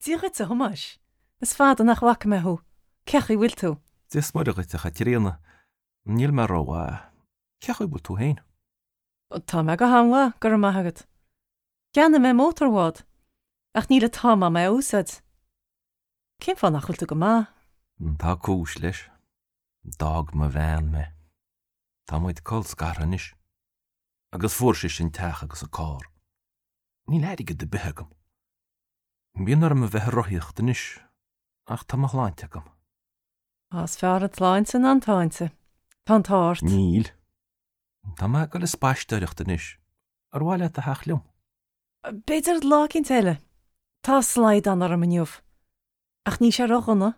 Dia dhuit, a Thomáis. Is fada nach bhfaca mé thú. Cén chaoi bhfuil tú? Dia is Muire dhuit, a Chaitríona. Níl mé rómhaith. Cén chaoi bhfuil tú féin? Tá mé go han-mhaith, go raibh maith agat. Cheannaigh mé mótarbhád, ach níl an t-am agam é a úsáid. Cén fáth nach bhfuil tú go maith? Tá cúis leis. D'fhág mo bhean mé. Tá muid colscartha anois. Agus fuair sise an teach agus an carr. Níl airgead ar bith agam. Bíonn orm a bheith ag rothaíocht anois, ach tá mo shláinte agam. Is fearr an tsláinte ná an táinte. Tá an t-ádh ort. Níl. Tá mé ag dul ag spaisteoireacht anois. Ar mhaith leat a theacht liom? B'fhéidir lá eicínt eile. Tá slaghdán orm inniu. Ach níl sé ródhona.